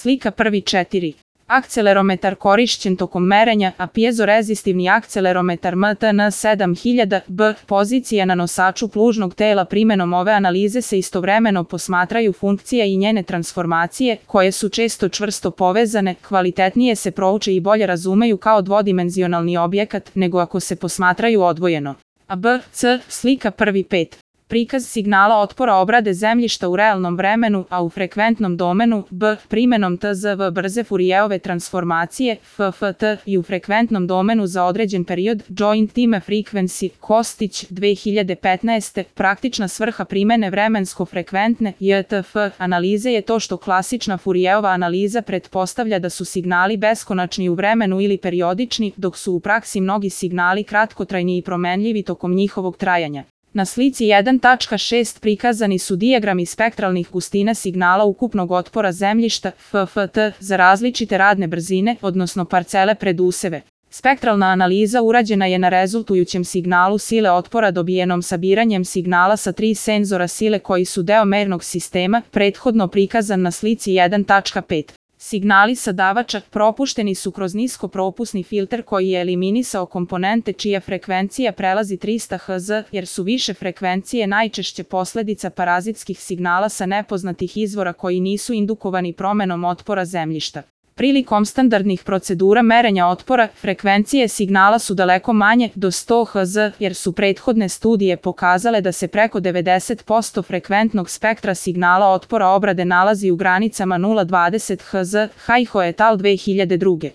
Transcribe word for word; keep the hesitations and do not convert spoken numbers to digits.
Slika prvi četiri. Akcelerometar korišćen tokom merenja, a pjezorezistivni akcelerometar M T N sedam hiljada B, pozicija na nosaču plužnog tela. Primenom ove analize se istovremeno posmatraju funkcija i njene transformacije, koje su često čvrsto povezane, kvalitetnije se prouče i bolje razumeju kao dvodimenzionalni objekat, nego ako se posmatraju odvojeno. A B, C, slika prvi pet. Prikaz signala otpora obrade zemljišta u realnom vremenu, a u frekventnom domenu, B, primenom T Z V brze Fourijerove transformacije, F F T, i u frekventnom domenu za određen period, Joint Time Frequency, Kostić, dve hiljade petnaeste. Praktična svrha primene vremensko-frekventne J T F analize je to što klasična Fourijerova analiza pretpostavlja da su signali beskonačni u vremenu ili periodični, dok su u praksi mnogi signali kratkotrajni i promenljivi tokom njihovog trajanja. Na slici jedan tačka šest prikazani su dijagrami spektralnih gustina signala ukupnog otpora zemljišta F F T za različite radne brzine, odnosno parcele preduseve. Spektralna analiza urađena je na rezultujućem signalu sile otpora dobijenom sabiranjem signala sa tri senzora sile koji su deo mernog sistema, prethodno prikazan na slici jedan tačka pet. Signali sadavača propušteni su kroz niskopropusni filter koji je eliminisao komponente čija frekvencija prelazi trista hertza, jer su više frekvencije najčešće posledica parazitskih signala sa nepoznatih izvora koji nisu indukovani promenom otpora zemljišta. Prilikom standardnih procedura merenja otpora, frekvencije signala su daleko manje, do sto hertza, jer su prethodne studije pokazale da se preko devedeset posto frekventnog spektra signala otpora obrade nalazi u granicama nula zarez dvadeset hertza, Hajho et al. dve hiljade druge.